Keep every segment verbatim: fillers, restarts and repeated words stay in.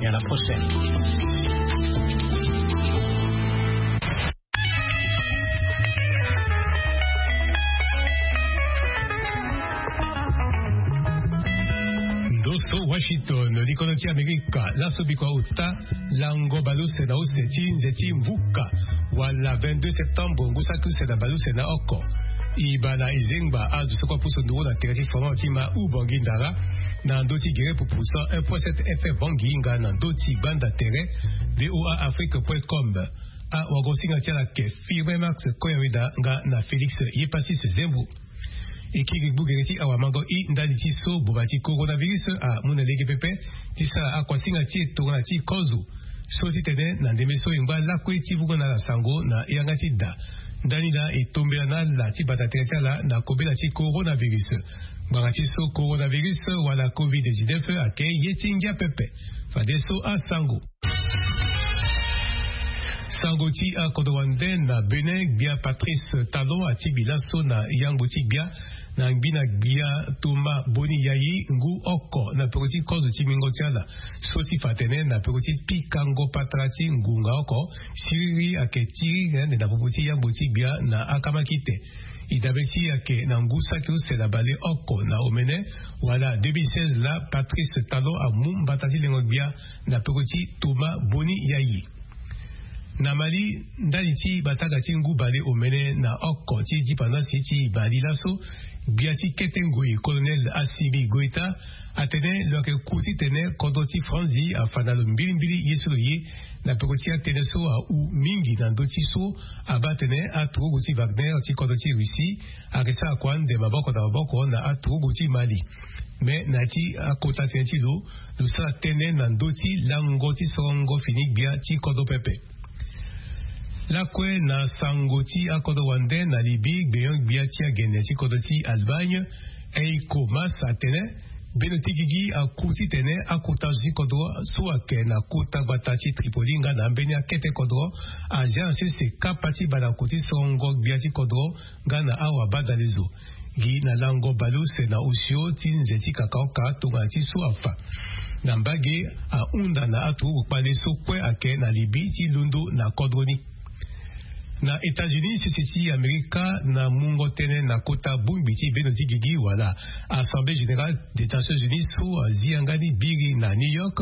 À la prochaine. Ndo so Washington, likono ti Amerika. Laso biko auta lango baleuse na use ti nze ti mvuka, wala vingt-deux septembre, ngu saki use na baleuse na oko. E baa na e zengba azo so kue apusu nduru na tere ti Fran ti ma Ubangui Ndara, na ndö ti gere pupu cent un point sept F M Bangui, nga na ndö ti gbanda tere V O A Afrique point com. Awagosinga ti ala ayeke Firmin Max Koyaweda, nga na Félix Yepasis Zembo. E kiri gbu gere ti awamango i ndali ti so boma ti coronavirus amu na lege pepe, ti sara akuasinga ti e tongana ti kozo. So ti tene na ndembe so e ngba lakue ti vungo na ala sango na yanga ti da. Ndani laa e tombela na ala ti bata tere ti ala na kobela ti coronavirus. Ngbanga ti so coronavirus wala covid dix-neuf ayeke ye ti ngia pepe. Fadeso asango. Sango ti akodro wande na Bénin, gbia Patrice Talon atingbi laso na yangbo ti gbia na ngbi na gbia Thomas Boni Yayi ngu oko na peko ti kozo ti mingo ti ala. So ti fa atene na peko ti pikango patara ti ngonga oko, siriri ayeke ti iri na ande na popo ti yangbo ti gbia na akamakite. E dabe ti e ayeke na ngu saki use na baleoko na omene, wala deux mille seize laa Patrice Talon amu mbata ti lengo gbia na peko ti Thomas Boni Yayi. Na Mali, ndali ti batanga ti ngu baleomene na oko ti dipendance ti Mali laso, gbia ti kete ngoi Colonel Assimi Goïta atene lo yeke ku titene kodro ti Franzi afa na lo mbilimbili ye so lo ye, na peko ti atënë so ahu mingi na ndö ti so abaa atene aturugu ti Wagner ti kodro ti Russie ayeke sara kua ande maboko na maboko na aturugu ti Mali. Me na ya ti akota tënë ti lo, lo sara tënë na ndö ti lango ti sorongo fini gbia ti kodro pepe. Lakue na sango ti akodro wande na Libye, gbenyo-gbia ti agene ti kodro ti Allemagne, Heiko Maas atene bendo ti gigi aku titene akota zo ti kodro so ayeke na kota gbata ti Tripoli nga na ambeni akete kodro azia na sese kapa ti baleoko ti sorongo gbia ti kodro nga na awabadalezo. Gi na lango baleuse na osio ti nze ti kakaoka tongana ti so afa na mbage ahunda na aturugu kpale so kue ayeke na Libye ti londo na kodro ni. Na États-Unis, sese ti Amerika na mungo tënë na kota bongbi ti bendo ti gigi wala Assemblée Générale des Nations Unies so azi yanga ni biri na New York,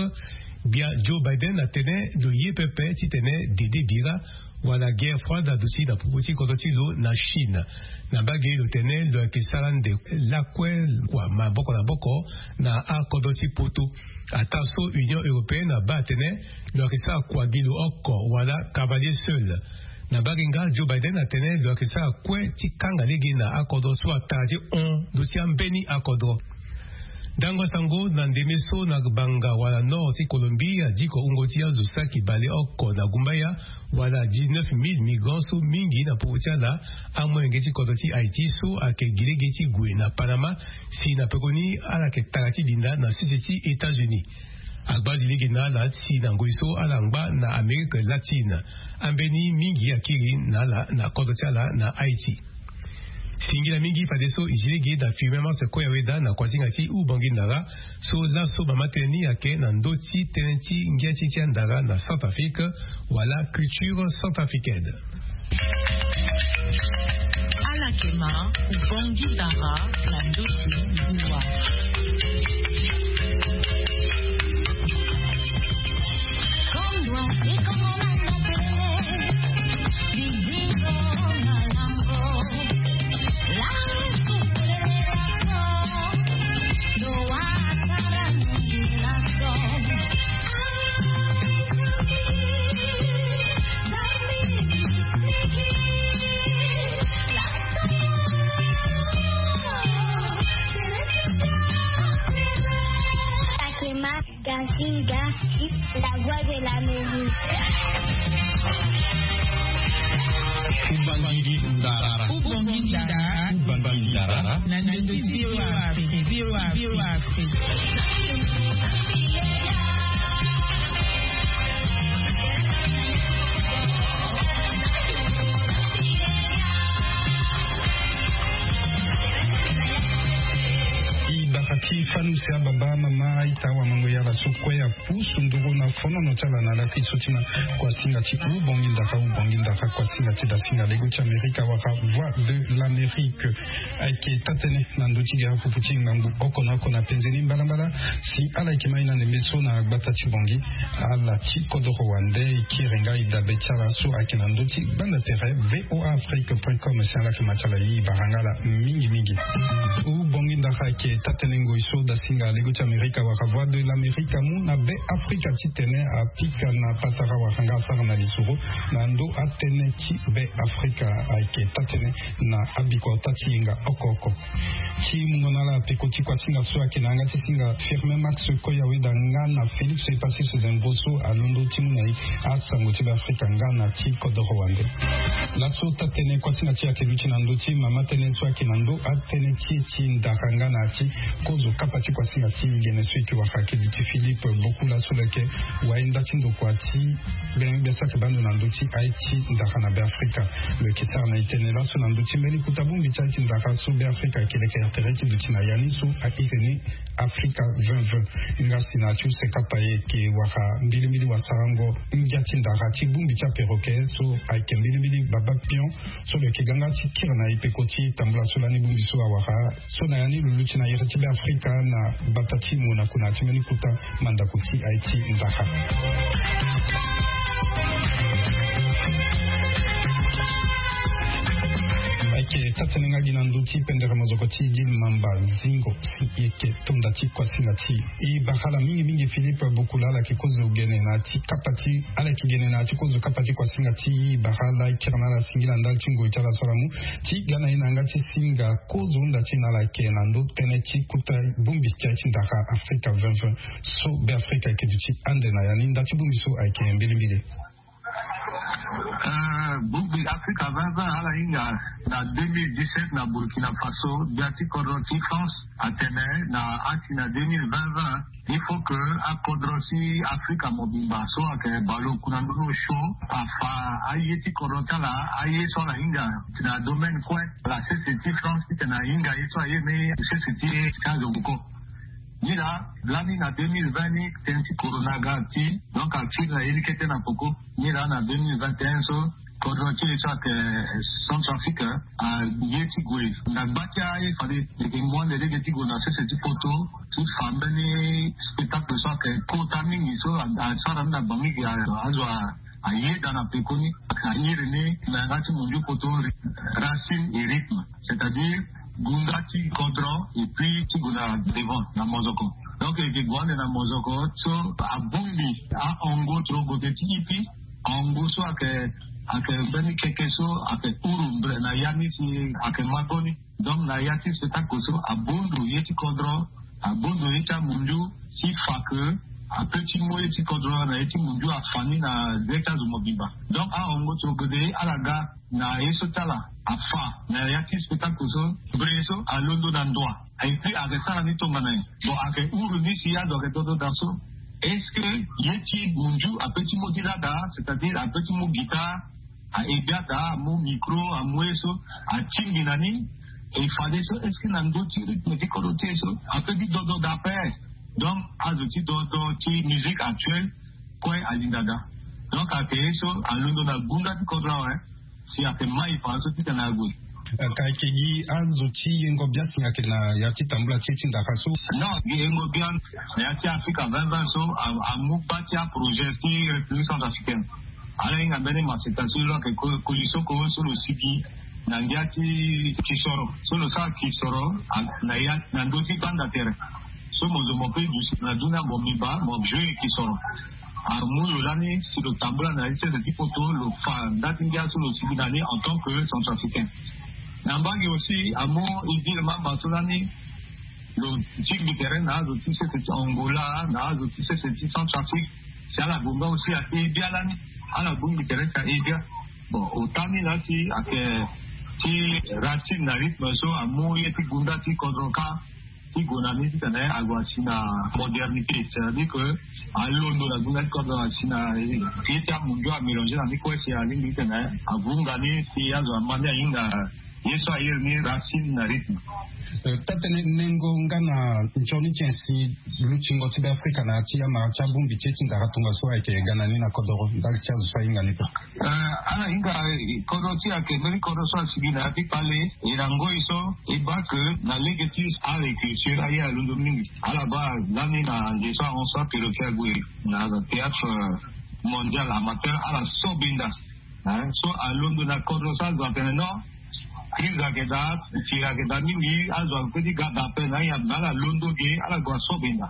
gbia Joe Biden atene lo ye pepe titene dede bira wala guerre froide aduti na popo ti kodro ti lo na Chine. Na mbage lo tene lo yeke sara ande lakue kua maboko na maboko na akodro ti poto. Ataa so Union Européenne abaa atene lo yeke sara kua gi lo oko wala cavalier seul. Na mbage nga Joe Biden atene lo yeke sara kue ti kanga lege na akodro so atara ti hon ndö ti ambeni akodro. Ndango asango na ndembe so na gbanga wala nord ti Colombie adiko wungo ti azo saki baleoko na gumbaya wala dix-neuf mille migrants so mingi na popo ti ala amolenge ti kodro ti Haïti so ayeke gi lege ti gue na Panama, si na pekoni ala yeke tara ti linda na sese ti États-Unis. Agbazi lege na ala si na ngoi so ala ngba na Amérique latine, ambeni mingi akiri na ala na kodro ti ala na Haïti. Singila mingi fadeso e zi lege na Firmin Max Koyaweda na kuasinga ti Ubangui Ndara, so laso mama tënë ni ayeke na ndö ti tënë ti ngia ti ti andara na Centrafrique wala culture centrafricaine. Ala yeke ma Ubangui Ndara na ndö ti liwa. Gasinga, la voix de l'Amérique. Ubangui Ndara. Ubangui Ndara. Ubangui Ndara. Na ndö ti V O A Afrique. V O A Afrique. I baka ti Ifanu si ababa mama aita wamango yala so kue apusu nduru na fonono ti ala na laki so ti na kuasinga ti ubongi ndara ubongi ndara kuasinga ti dasinga lego ti amerika wara voix de l'amérique. Ayeke tatene na ndö ti gere pupu ti ngangu oko na oko na penze ni mbalambala si ala yeke ma ye na ndembe so na gbata ti bongi ala ti kodoro wande e kiri nga e dabe ti ala so ayeke na ndö ti gbanda tere voa afrique point com si ala yeke ma ti ala ye e bara nga ala mingi mingi. Ubongi ndara ayeke tatene ngoi so dasinga lego ti amerika wara voix de l'amérique amu na be afrika titene apika na patara wara nga asara na lisoro na ndö atënë ti be afrika. Ayeke tatene na abikota ti yenga oko oko. Ti mungo na ala peko ti kuasinga so ayeke na yanga ti singa firme max koya weda nga na félix epassis de mboso alondo ti mu na ye asango ti be afrika nga na ti kodoro wande. Laso tatene kuasinga ti e ayeke luti na ndö ti mama tënë so ayeke na ndö atënë ti e ti ndara nga na ya ti kozo kapa ti kuasinga ti gene so e yeke wara ayeke duti philippe boku laso lo yeke wayenda ti ndokua ti bene gbia so ayeke baa ndo na ndö ti aye ti ndara na be afrika. Lo yeke sara na e tene laso na ndö ti mbeni kota bongbi ti aye ti ndara so be afrika ayeke leke ya tere ti duti na ya ni so ayeke ni afrika vingt vingt. Nga si na ya ti use kapa e yeke wara mbilimbili wasarango ngia ti ndara ti bongbi ti aperoke so ayeke mbilimbili baba pion so lo yeke ga nga ti kiri na e peko ti tambula so lani bongbi so awara so na ya ni lo luti na iri ti be afrika na gbata ti mo na kona ti mbeni kota mandako ti aye ti ndara. Ayeke tatene nga gi na ndö ti pendere mozoko ti dil mamba zingo si e yeke tonda ti kuasinga ti e bara ala mingi mingi philippe bokula ala yeke kozo gene na ti kapa ti ala yeke gene na ya ti kozo kapa ti kuasinga ti e bara ala e kiri na ala singila ndali ti ngoi ti ala so ala mu ti ga na e na yanga ti singa kozo hunda ti e na ala yeke na ndö tënë ti kota bongbi ti aye ti ndara afrika vingt vingt so be afrika ayeke duti ande na ya ni nda ti bongbi so ayeke mbilimbili. Bongbi afrika vingt vingt ala hinga na deux mille dix-sept na burkina faso gbia ti kodro ti france atene na asi na deux mille vingt vingt il faut que akodro ti afrika mobimba so ayeke baleoku na ndoni osio afa aye ti kodro ti ala aye so ala hinga na domaine kue. Ala sese ti france titene ahinga ye so aye ni sese ti ti azo koko. Ni laa lani na deux mille vingt ni tënë ti corona aga ti donc akiri na ye ni kete na poko. Ni laa na deux mille vingt et un so kodro ti e so ayeke centrafrique aye ti gue na gba ti aye fade. Eke ngu ande lege ti gue na sese ti poto ti fa mbeni spectacle so ayeke kota mingi so asara ni na bangi gi azo ayeda na pekoni. Ayiri ni na yanga ti mondio poto racine et rythme c'est-à-dire gunda ti kodro et puis ti gue na devant na mozoko. Donc eke gue ande na mozoko so abongbi ahongo tro gote ti ipi ahongo so ayeke ayeke mbeni keke so ayeke uru mbre na ya ni si ayeke magoni. Donc na ya ti spectacle so abundu ye ti kodro abundu ye ti amundu ti fa ke ape ti mu ye ti kodro na ye ti mundu afa ni na ze ti azo mobimba. Donc ahongo tro gote ala ga na ye so ti ala afa na ya ti spectacle so mbre so alondo na ndoa. Et puis ayeke sara ni tongana nyen? Bon ayeke uru ni si azo ayeke dodo daa so est-ce que ye ti mundu ape ti mu ti lada c'est-à-dire ape ti mu guitare ahe gbia daa amu micro amu ye so atingbi na ni. E fade so est-ce que na ndö ti rythme ti kodro ti e so ape ti dodo daa ape? Donc azo ti dodo ti musique actuelle kue alinda daa. Donc ayeke ye so alondo na gunda ti kodro awe si ayeke mai fa so titene ague. Ka ayeke gi azo ti yengo biasi ayeke na ya ti tambula ti e ti ndaka so? Non gi yengo biani na ya ti afrika vingt vingt so amu gba ti aprojet ti république centrafricaine. Ala hinga mbeni maseta so lo ayeke kolisoko so lo sigi na ngia ti kisoro so lo sara kisoro na ya na ndö ti gbanda tere. So mo zo mo pe duti na dunia mo miba mo jeu kisoro. Amu lo lani si lo tambula na ye ti sese ti poto lo fa nda ti ngia so lo sigi na ni en tant que centrafricain. Na mbage aussi amu idile mamba so lani lo tingbi tere na azo ti sese ti angola na azo ti sese ti centrafrique. Si ala gue nga aussi ahe bia lani ala bongbi tere si ahe bia. Bon ota ni laa si ayeke ti racine na rythme so amu ye ti gunda ti kodro kâ ti gue na ni titene ague asi na modernité c'est-à-dire que alondo na gunda ti kodro asi na ye ti amundu amélange na ni kue si alingbi titene avunga ni si azo ama ni ahinga. Ye so airi ni racine na rythme. Taa-tënë, nengo nga na nzoni ti nyen si lutingo ti Beafrika na ya ti amara ti abongbi ti e ti ndara tongaso ayeke ga na ni na kodoro ndali ti azo so ahinga ni pe? Ala hinga. Kodro ti e ayeke mbeni kodro so asigi na ya ti kpale. E na ngoi so e baa ke na lege ti agriculture aye alondo mingi. Ala baa lani na nze so ahon so apero ti ague na théâtre mondial amateur, ala so benda. So alondo na kodro so azo atene non, crise ayeke daa, tiri ayeke daa mingi, azo ayeke pe ti ga daa ape na aya me ala londo ge, ala gue aso benda.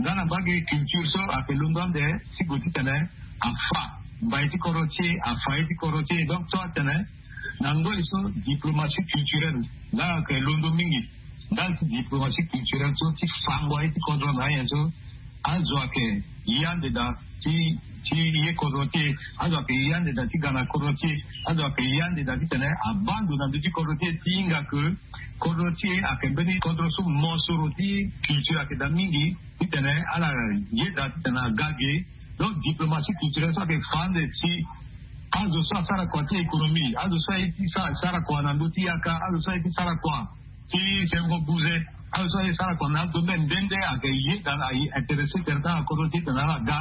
Nga na mbage culture so ayeke londo ande ti gue titene afa mbai ti kodro ti e, afa ye ti kodro ti e. Donc so atene na ngoi so diplomatie culturelle nga ayeke londo mingi. Ndali ti diplomatie culturelle so ti fango aye ti kodro na anyen so, azo ayeke ye ande daa ti ti ye kodro ti e. Azo ayeke ye ande daa ti ga na kodro ti e. Azo ayeke ye ande daa titene abaa ndo na ndö ti kodro ti e ti hinga ke kodro ti e ayeke mbeni kodro so mosoro ti culture ayeke daa mingi titene ala ye daa titene aga ge. Donc diplomatie culturelle so ayeke fa ande ti azo so asara kua ti économie, azo so aye ti sara kua na ndö ti yaka, azo so aye ti sara kua ti sengo buze, azo so aye sara kua na adomaine nde nde ayeke ye daa na aye intéressé tere ti ala kodro ti e tene ala ga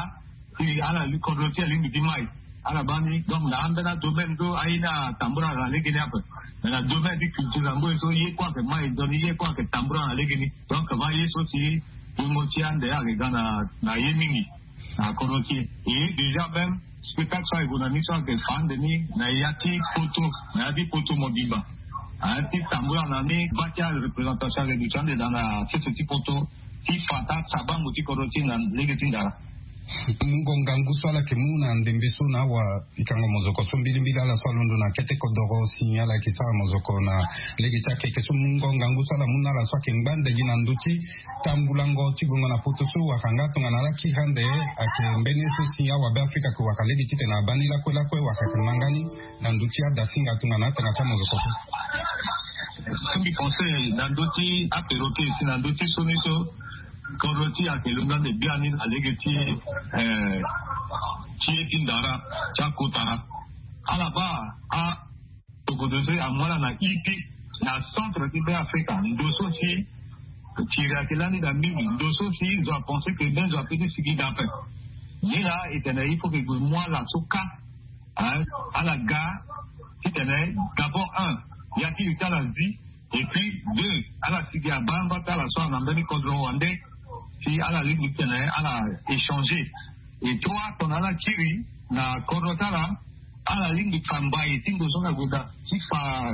ti ala li kodro ti e alingbi ti mai. Ala baa ni. Donc na ambeni adomaine so aye ni atambula na lege ni ape. Mais na domaine ti culture na ngoi so ye kue ayeke mai nzoni, ye kue ayeke tambula na lege ni. Donc va ye so si bongo ti ande ayeke ga na ye mingi na kodro ti e. Et déjà même spectacle so ayeke gue na ni so ayeke fa ande ni na ya ti poto, na ya ti poto mobimba. Aye ti tambula na ni baa ti areprésentation ayeke duti ande daa na sese ti poto ti fa taa sabango ti kodro ti e na lege ti ndara. Mungo ngangu so ala yeke mu na ndembe so na awa pikango mozoko so mbilimbili ala so alondo na kete kodoro si ala yeke sara mozoko na lege ti akeke so mungo ngangu so ala mu na ala so ayeke ngba ndege na ndö ti tambulango ti gongo na poto so wala nga tongana ala kiri ande ayeke mbeni ye so si awa Beafrika ayeke wara lege titene abaa ni lakue lakue wala ayeke ma nga ni na ndö ti adasinga tongana atanga ti amozoko so. So mbi pense na ndö ti apero kiri si na ndö ti so ni so kodro ti e ayeke longande biani na lege ti ti ye ti ndara ti akotara. Ala baa a tokodo so amu ala na ipi na centre ti Beafrika, ndo so si tiri ayeke lani daa mingi, ndo so si zo apense ke mbeni zo ape ti sigi daa ape. Ni laa e tene il faut ke e gue mu ala so kâ. Ala ga titene d'abord un, ya ti li ti ala zi. Et puis deux, ala sigi abaa amba ti ala so ala na mbeni kodro wande si ala lingbi titene ala échanger. Et trois, tongana ala kiri na kodro ti ala, ala lingbi fa mbai ti ngu so ala gue daa ti fa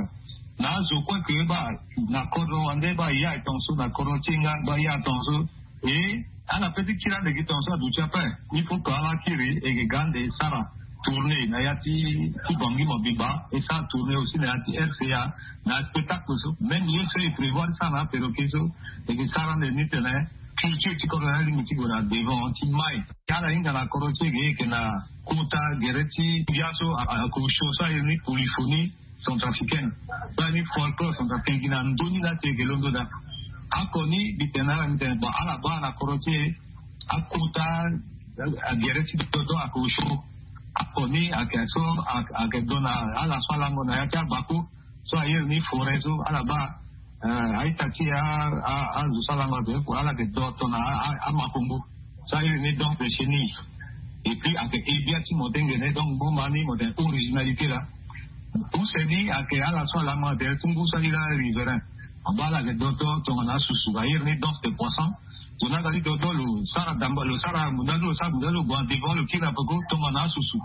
na azo kue ke baa na kodro wande baa ye aye tongaso, na kodro ti e nga baa ye aye tongaso. Et ala pe ti kiri ande gi tongaso aduti ape. Il faut que ala kiri e ke ga ande e sara tournée na ya ti ti Bangui mobimba, e sara tournée aussi na ya ti R C A na spectacle so. Même ye so e prévoir ti sara na apero kiri so, e ke sara ande ni titene culture ti kodro ni alingbi ti gue na devant ti mai. Ala hinga na kodro ti e ge, e yeke na kota gere ti bia so a, a, ako show so aye ni polyphonie centrafricaine. So aye ni folklore centrafricain gi na ndö ni laa ti e yeke londo daa. Ako ni mbi tene na ala, mbi tene bon, ala baa na kodro ti e akota agere ti dodo ako show. Ako ni ayeke so ayeke do na ala so alango na ya ti abako so airi ni forêt so, ala baa a-ita ti e, azo so alango ate, ala yeke do tongana amakongo so airi ni danse de chenille. Et puis ayeke ebia ti mo tengene, donc mo ma ni mo tene originalité laa. Use ni ayeke ala so alango ate ti ngu so airi laa riverain. Abaa ala yeke do tongana asusu, airi ni danse de poisson. Zo ni aga ti dodo lo sara damba, lo sara munda so, lo sara munda so, lo gue na devant, lo kiri na peko tongana asusu.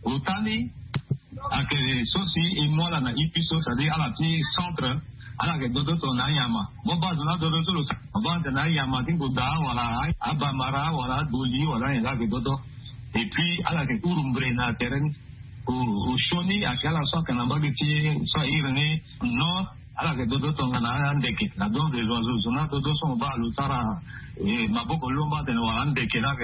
Ota ni ayeke so si e mu ala na ipi so, c'est-à-dire ala ti centre, ala yeke dodo tongana anyama. Mo baa zo ni adodo so lo sara, mo baa tongana anyama ti ngonda wala abamara wala adoli wala anyen laa ayeke dodo. Et puis ala yeke hurumbre na tere ni. Osioni ayeke ala so ayeke na mbage ti so airi ni nord, ala yeke dodo tongana andeke, la danse des oiseaux. Zo ni adodo so mo baa lo sara maboko lomba atene wala andeke laa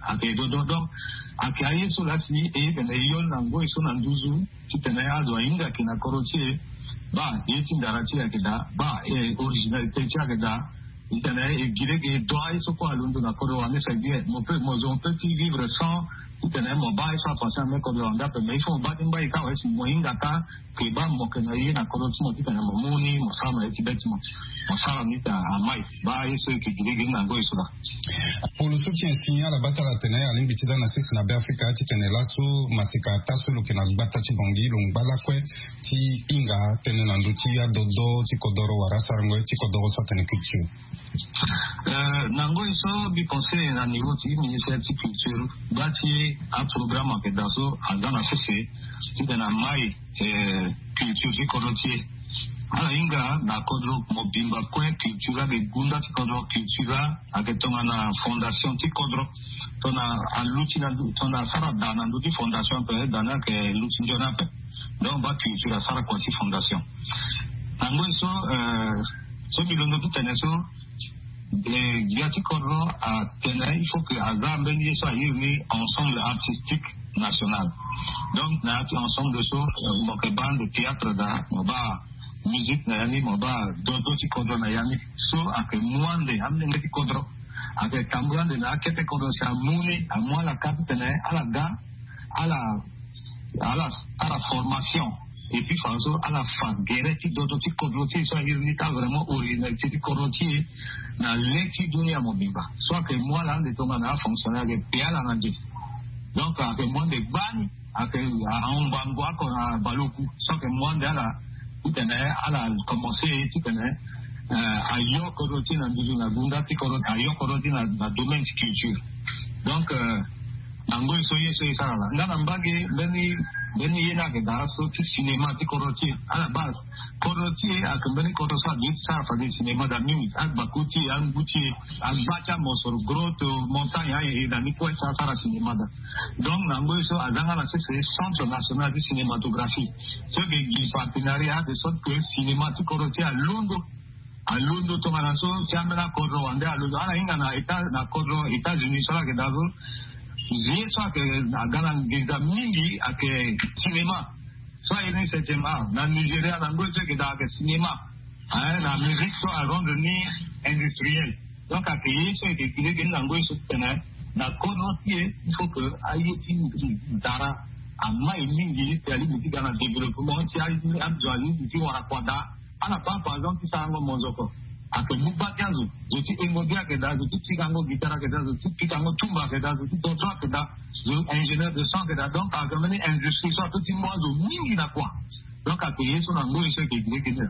ayeke dodo. Donc ayeke aye so laa si e tene e yol na ngoi so na nduzu titene azo ahinga yeke na kodro ti e. Baa ye ti ndara ti e ayeke daa, baa originalité ti e ayeke daa. Titene e gi lege e do aye so kue alondo na kodro wande, c'est bien, mo peut, mo zo mo peut ti vivre sans Titene mo baa ye so afa si na me kodro wande ape, mais il faut mo baa ti ngba ye kâ awe si mo hinga kâ. Ke baa mo yeke na ye na kodro ti mo titene mo mu ni mo sara na ye ti be ti mo. Mo sara ni ta amai baa ye so eke gi lege ni na ngoi so laa. Polo so ti nyen si ala baa ti ala tene alingbi ti laa na sese na Beafrika titene laso maseka ata so lo yeke na gbata ti Bangui lo ngba lakue ti hinga tënë na ndö ti adodo ti kodoro wala asarango ye ti kodoro so atene culture. Na ngoi so mbi conseil na niveau ti ministère ti culture gba ti aprogramme ayeke daa so aza na sese titene amai culture ti kodro ti e. Ala hinga na kodro mobimba kue culture ayeke gunda ti kodro culture ayeke tongana fondation ti kodro. Tongana aluti na tongana asara daa na ndö ti fondation ape daa ni ayeke luti nzoni ape. Donc baa culture asara kua ti fondation. Na ngoi so so mbi londo ti tene so gbia ti kodro atene il faut que aza mbeni ye so airi ni ensemble artistique national. Donc na ya ti ensemble so mo yeke baa ande théâtre daa mo baa musique na ya ni mo baa dodo ti kodro na ya ni. So ayeke mu ande amolenge ti kodro ayeke tambula ande na akete kodro si amu ni amu ala ka titene ala ga ala ala sara formation. Et puis faso ala fa gere ti dodo ti kodro ti e so airi ni ta vraiment originalité ti kodro ti e na le ti dunia mobimba. So ayeke mu ala ande tongana afonctionnaire ayeke pe ala na nze. Donc ayeke mu ande gbani ayeke ahon ngbangbo oko na baleoku so ayeke mu ande ala titene ala commence titene ayo kodro ti e na nduzu na gunda ti kodro ayo kodro ti e na domaine ti culture. Donc na ngoi so ye so e sara laa nga na mbage mbeni mbeni ye ni ayeke daa so ti cinéma ti kodro ti e ala baa kodro ti e ayeke mbeni kodro so aduti sara fade cinéma daa mingi agbaku ti e angu ti e agba ti amosoro grotte montagne aye na ni kue so asara cinéma daa. Donc na ngoi so aza nga na sese centre national ti cinématographie so yeke gi partenariat de sorte que cinéma ti kodro ti e alondo alondo tongana so ti ambeni akodro wande alondo ala hinga na état na kodro états-unis so ala yeke daa so. Ye so ayeke aga na nginza mingi ayeke cinéma so aye ni septième art na nigeria na ngoi so yeke daa ayeke cinéma. Na musique so arendre ni industriel. Donc ayeke ye so yeke gi lege ni na ngoi so titene na kodro ti e il faut que aye ti dara amai mingi si alingbi ti ga na développement ti azo alingbi ti wara kua daa. Ala baa par exemple ti sarango monzoko ayeke mu gba ti azo zo ti engo bi ayeke daa zo ti pikango guitare ayeke daa zo ti pikango tumba ayeke daa zo ti dodro ayeke daa zo ingénieur de son ayeke daa donc ayeke mbeni industrie so ato ti mu azo mingi na kua. Donc ayeke ye so na ngoi so ayeke gi lege ni.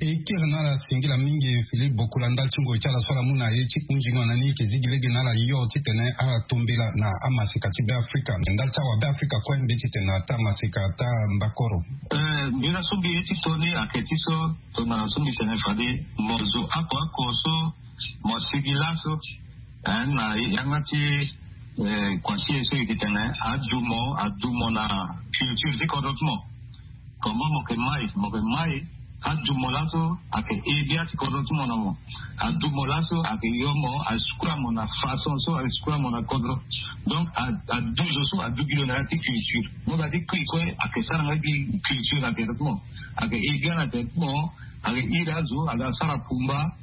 E kiri na ala singila mingi Philippe Bokoula ndali ti ngoi ti ala so ala mu na ye ti hunzingo na ni e yeke zi gi lege na ala yo titene ala tombela na amaseka ti Beafrika me ndali ti awa Beafrika kue mbi titene ata maseka ata mbakoro. Mbi na so mbi ye ti to ni ayeke ti so tongana so mbi tene fade mo zo oko oko so mo sigi laso na yanga ti kua ti e so e yeke tene adu mo adu mo na culture ti kodro ti mo. Comment mo yeke mai mo yeke mai adu mo laso ayeke ebia ti kodro ti mo na mo. Adu mo laso ayeke yo mo asukula mo na façon so asukula mo na kodro. Donc adu zo so adu gi lo na ya ti culture mo ga ti kui kue ayeke sara nga gi culture na tere ti mo. Ayeke ebia na tere ti mo. Ayeke iri azo aga sara pumba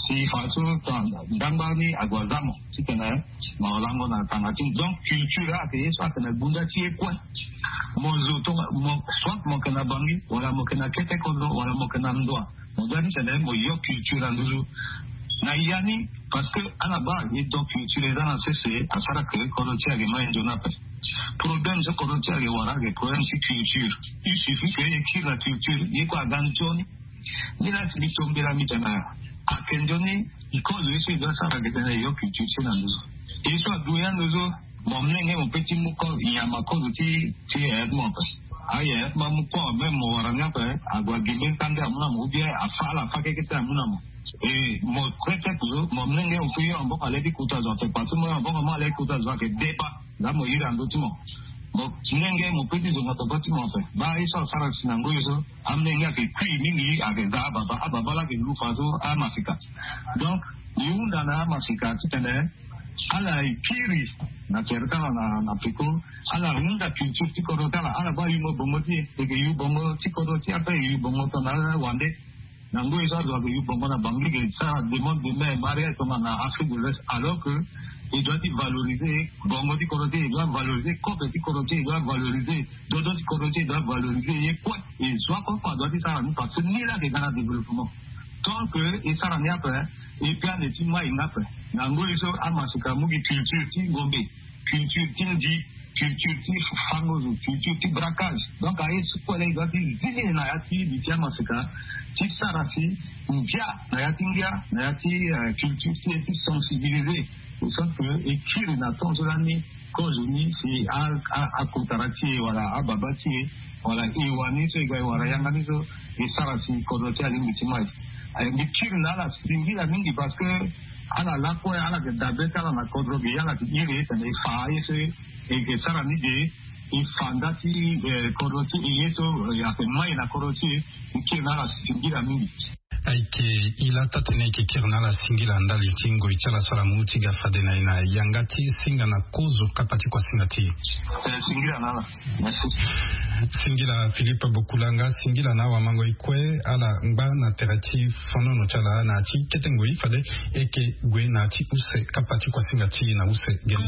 si faso tongana ndangba ni ague aza mo titene mo lango na tanga ti mo donc culture ayeke ye so ayeke na gunda ti ye kue. Mo zo tonga mo soit mo yeke na bangi wala mo yeke na kete kodro wala mo yeke na ndoa. Mo ga ni tene mo yo culture na nduzu na ya ni. Parce que ala baa ye do culture eza na sese asara ke kodro ti ayeke ma ye nzoni ape. Problème so kodro ti ayeke wara ayeke problème ti culture. Il suffit ke ye kiri na culture ye kue aga nzoni. Ni laa si mbi tombela mbi tene ayeke nzoni kozo ye so e doit sara ayeke tene e yo culture ti e na nduzu. E so adu ya nduzu. Mo mlenge mo pe ti mu kozo nyama kozo ti ti yaya ti mo ape. Ayaya ti mo amu kozo même mo wara ni ape. Ague agi mbeni kande amu na mo ou bien afa ala afa keke ti amu na mo. E mo kue ti ape so mo mlenge mo pe yo maboko ale ti kota zo ape parce que mo yo maboko mo ale ti kota zo ayeke deba. Nga mo iri ando ti mo. Mo mlenge mo pe ti zonga papa ti mo ape. Baa ye so asara si na ngoi so amlenge ayeke kui mingi ayeke za ababa ababa laa ayeke lu faso amasika. Donc e hunda na amasika titene ala e kiri na tere ti ala na peko. Ala hunda culture ti kodro ti ala ala baa yungo bongo ti e e yeke yu bongo ti kodro ti e ape e yu bongo tongana ala wande. Na ngoi so azo ayeke yu bongo na bangi e sara demande de main mariage tongana afrique de l'ouest alors que Il doit ti valoriser bongo ti kodro ti e, il doit valoriser kope ti kodro ti e, il doit valoriser dodo ti kodro ti e, il doit valoriser ye kue. E zo akue kue adoit ti sara ni parce que ni laa ake ga na développement. Tant que e sara ni ape, e pe ande ti mai nga ape. Na ngoi so amaseka mu gi culture ti ngombe, culture ti ndi, culture ti fango zo, culture ti braquage. Donc aye so kue laa e doit ti zi ni na ya ti li ti amaseka ti sara si ngia na ya ti ngia na ya ti culture ti e ti sensibiliser. E sens que e kiri na temps so lani kozo ni si akotara ti e wala ababa ti e wala e wani so e ga e wara yanga ni so e sara si kodro ti e alingbi ti mai. Mbi kiri na ala singila mingi parce que ala lakue ala yeke dabe ti ala na kodro ge, ala yeke iri tene e fa aye so e yeke sara ni ge. E fa nda ti kodro ti e ye so e yeke mai na kodro ti e. Mbi kiri na ala singila mingi. Ayeke e la taa-tënë e yeke kiri na ala singila ndali ti ngoi ti ala so ala mu ti ga fade na e na yanga ti singa na kozo kapa ti kuasinga ti e. Singila na ala. Singila Philippe Bokulanga, singila na awamango e kue ala ngba na tere ti fonono ti ala na ya ti kete ngoi fade e yeke gue na ya ti use kapa ti kuasinga ti e na use gene.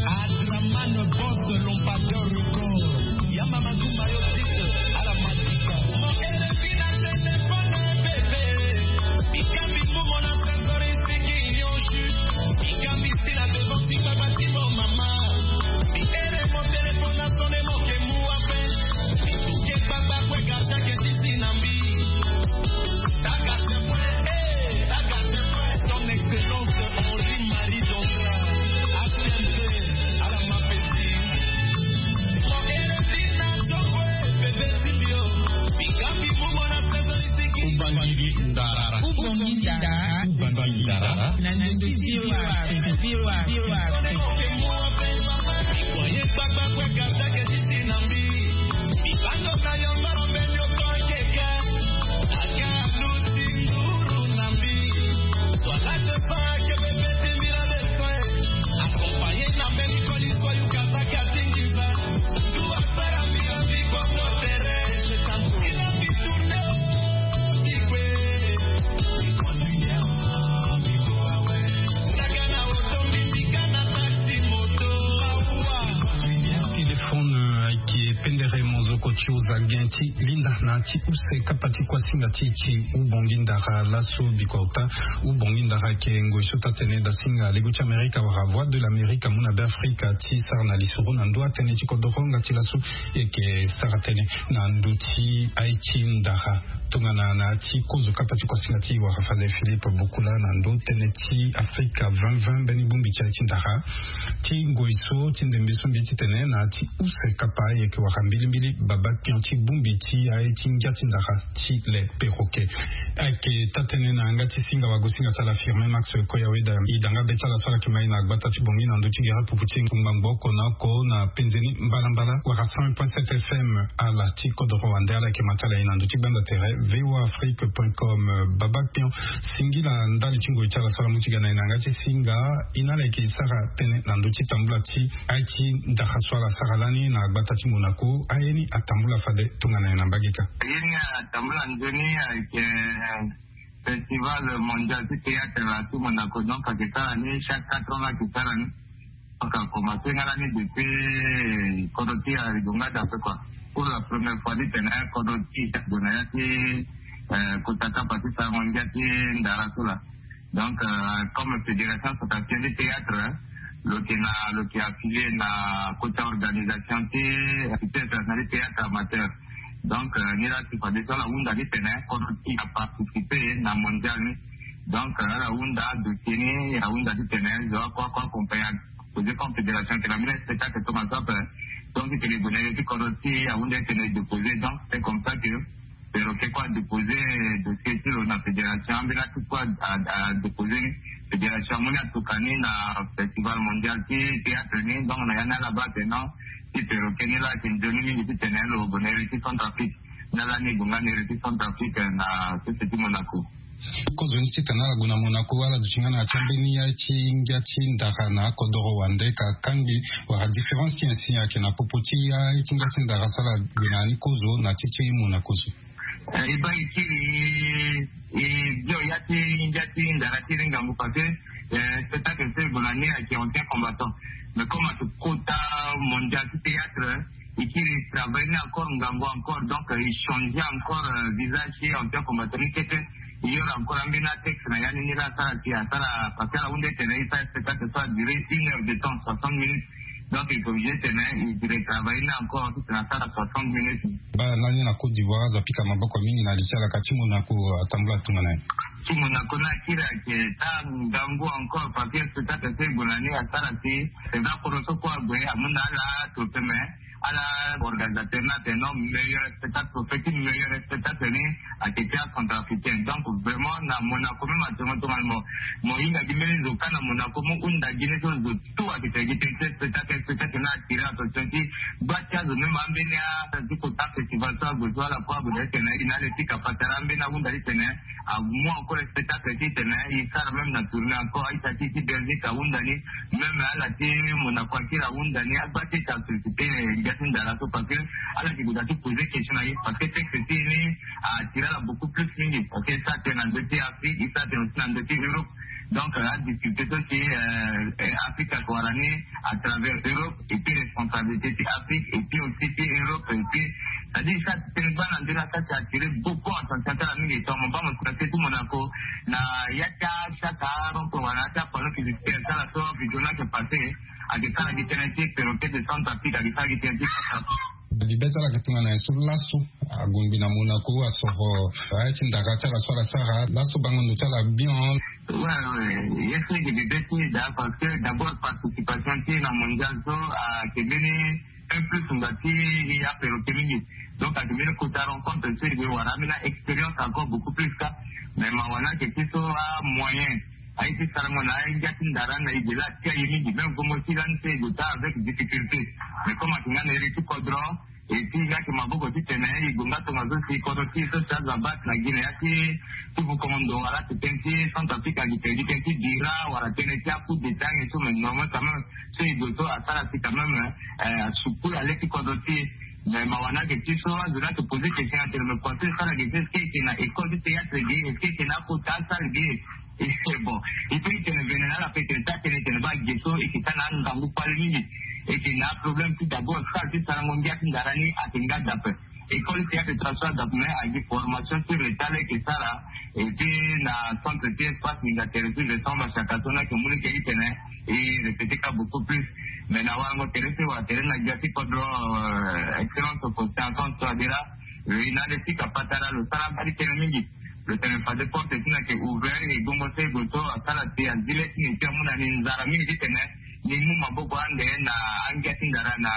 Ubangui ndara. Ubangui ndara. Ubangui ndara. Na ndenge ti V O A Afrique. V O A Afrique. Téléphone, euh, ayeke pendere mozoko ti oza gen ti linda na ti use kapa ti kuasinga ti e ti Ubongi ndara laso bikota. Ubongi ndara ayeke ngoi so taa-tënë dasinga lego ti Amerika wala Voix de l'Amérique amu na Beafrika ti sara na lisoro na ndö atënë ti kodoro nga ti laso. E yeke sara tënë na ndö ti aye ti ndara tongana na ya ti kozo kapa ti kuasinga ti e wara fade Philippe Bokula na ndö tënë ti Afrika vingt vingt mbeni bongbi ti aye ti ndara. Ti ngoi so ti ndembe so mbi ti tene na ya ti use kapa e yeke wara mbilimbili baba kpion ti bongbi ti aye ti ngia ti ndara ti le perroquet. Ayeke taa-tënë na yanga ti singa wagosinga ti ala Firmin Max Koya Weda, e da nga be ti ala so ala yeke mai na gbata ti Bangui na ndö ti gere pupu ti ngbangbo oko na oko na penze ni mbalambala wala cent un point sept F M. Ala ti kodoro wande ala yeke ma ti ala ye na ndö ti gbanda tere V O A Afrique point com. Baba kpion, singila ndali ti ngoi ti ala so ala mu ti ga na e na yanga ti singa. E na ala yeke sara tënë na ndö ti tambula ti aye ti ndara so ala sara lani na gbata ti Monaco. Aye ni atambula fade tongana nyen na mbage ka? Aye ni atambula nzoni ayeke festival mondial ti théâtre la ti Monaco. Donc ayeke sara ni chaque quatre ans la ayeke sara ni. Donc a commencé nga lani depuis kodro ti e arigo nga dape quoi. Pour la première fois ti tene kodro ti e ague na ya ti kota kapa ti sarango ngia ti ndara so la. Donc comme fédération centrafricaine ti théâtre, lo yeke na lo yeke affilié na kota organisation ti théâtre amateur. Donc ni la ti fade so ala hunda ti tene kodro ti e aparticipe na mondial ni. Donc ala hunda dossier ni, ahunda ti tene zo akua akua accompagné. Posé comme fédération que la mine spectacle toma so ape. Donc ti tene e gue na iri ti kodro ti e, ahunda ti tene e déposé. Donc c'est comme ça que perroquet kue adéposé dossier ti lo na fédération. Ambeni atuku adéposé ni, fédération amu ni atuka ni na festival mondial ti théâtre ni. Donc na ya ni ala baa tene non, ti perroquet ni la ayeke nzoni mingi ti tene lo gue na iri ti Centrafrique. Ni ala ni e gue nga na iri ti Centrafrique na sese ti Monaco. Kozo ni titene ala gue na Monaco, ala duti nga na ya ti ambeni aye ti ngia ti ndara na akodoro wande ka kangbi wala différence ti nyen si ayeke na popo ti aye ti ngia ti ndara so ala gue na ya ni kozo na ti ti Monaco so? E baa e kiri e bio ya ti ngia ti ndara ti iri ngangu parce que Spectacle so e gue na ni ayeke ancien combattant, mais comme ayeke kota mondial ti théâtre, e kiri e travailler ni encore ngangu encore, donc e changer encore visage ti ancien combattant ni kete. E yoro encore ambeni atexte na ya ni ni la asara si asara parce que ala hunda ti tene e sara spectacle so a durer une heure de temps, soixante minutes. Donc e ke obligé ti tene e retravailler ni encore ti tene asara soixante minutes. Baa lani na Côte d'Ivoire azo apika maboko mingi na li ti alaka ti Monaco, atambula tongana ye. Ti Monaco ni akiri ayeke taa ngangu encore parce que spectacle so e gue na ni asara si c'est vrai kodro so kue ague amu na ala trophée, mais ala organisateur ni atene non, meilleur spectacle, trophée ti meilleur spectacle ni ayeke ti acentrafricain. Donc vraiment na Monaco même actuellement tongana mo mo hinga gi mbeni zo kâ na Monaco mo hunda gi ni so zo tout ayeke tene gi tënë ti spectacle. Spectacle ni attirer attention ti gba ti azo même ambeni a ti kota festival so ague so ala kue ague na ti tene e na le ti kapatara ambeni ahunda ti tene amu encore spectacle ti tene e sara même na tournée encore aita ti ti Belgique ahunda ni, même ala ti Monaco akiri ahunda ni agba ti e ti asolliciter ngia ti ndara so parce que ala yeke gue daa ti poser question na e parce que texte ti e ni attirer ala beaucoup plus mingi parce que e sara tënë na ndö ti Afrique, e sara tënë aussi na ndö ti Europe. Donc adiscuter so si Afrique ayeke wara ni à travers Europe et puis responsabilité ti Afrique et puis aussi ti Europe et puis c'est-à-dire e sara tënë gbaa na ndö ni asara ti attirer beaucoup attention ti ala mingi. Tongana mo baa mo si na se ti Monaco na ya ti achaka rond-point wala na ya ti apanneau publicitaire ti ala so video ni ayeke passer, ayeke sara gi tënë ti perroquet de Centrafrique, ayeke sara gi tënë ti Centrafrique. Libe ti ala ayeke tongana nyen so laso agongbi na Monaco asoro aye ti ndara ti ala so ala sara laso bango ndo ti ala bien? Ouais, ouais, ye so e yeke bebe ti e daa parce que d'abord participation ti e na mondial so ayeke mbeni un plus ngba ti e aperroquet mingi. Donc ayeke mbeni kota rencontre so e gue wara ambeni a-expérience encore beaucoup plus kâ. Mais mawa ni ayeke ti so amoyen aye ti sarango na angia ti ndara ni na e ge laa atia e mingi, même gomo ti lani so e gue taa avec difficulté. Mais comme ayeke nga na iri ti kodro et puis nga yeke maboko ti tene e gue nga tongaso si kodro ti e so si azo abaa na gi na ya ti ti bukondo wala ti tënë ti Centrafrique ayeke tene gi tënë ti bira wala tënë ti a-coup d'état nyen so, mais normal quand même so e gue so asara si quand même asukula le ti kodro ti e. Mais mawa ni ayeke ti so azo ni ayeke poser question atene mais kua so e sara ge so est-ce que e yeke na école ti théâtre ge, est-ce que e yeke na akota asalle ge? Bon, e peut ti tene vene na ala peut tene taa tënë e tene baa ge so e yeke taa na angangu kpale mingi. E yeke na aproblème ti d'abord salle ti sarango ngia ti ndara ni ayeke nga dape. École ti théâtre ti ala so adape mais ayeke gi formation ti retard laa e yeke sara. Et puis na centre ti espace minga tere ti gestion basiaka so ni ayeke mu lege ti tene e répéter kâ beaucoup plus. Mais na warango tere so e wara tere na gbia ti kodro, excellence Faustin Archange Touadéra, e na le ti kapatara lo sara mbali tënë mingi. Lo tene fade porte ti ni ayeke ouvert e gbongo so e gue so asara si azi le ti ni ti amu na ni nzara mingi ti tene ni mu maboko ande na angia ti ndara na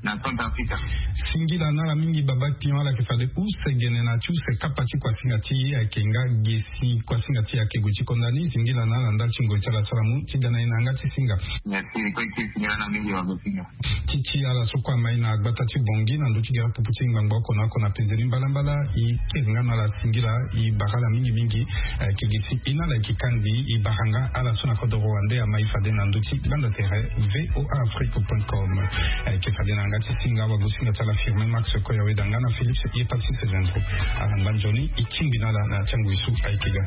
na Centrafrique. Singila na ala mingi baba pion, ala yeke fade use gene na ti use kapa ti kuasinga ti e ayeke nga ge si kuasinga ti e ayeke gue ti konda ni. Singila na ala ndali ti ngoi ti ala so ala mu ti ga na e na yanga ti singa. Merci. Kue ti singila na mingi wa mo singa. Ti ti ala so kue amai na gbata ti Bangui na ndö ti gere pupu ti ngbangbo oko na oko na penzeni mbalambala, e kiri nga na ala singila, e bara ala mingi mingi. Ayeke gi si e na ala yeke kangbi e bara nga ala so na kodoro wande amai fade na ndö ti gbanda tere V O A Afrique point com. Ayeke fade na yanga ti singa wagosinga ti ala Firmin Max Koya weda nga na Philippe Epassis Zendro. Ala ngba nzoni e kingbi na ala na ya ti angoi so ayeke ga.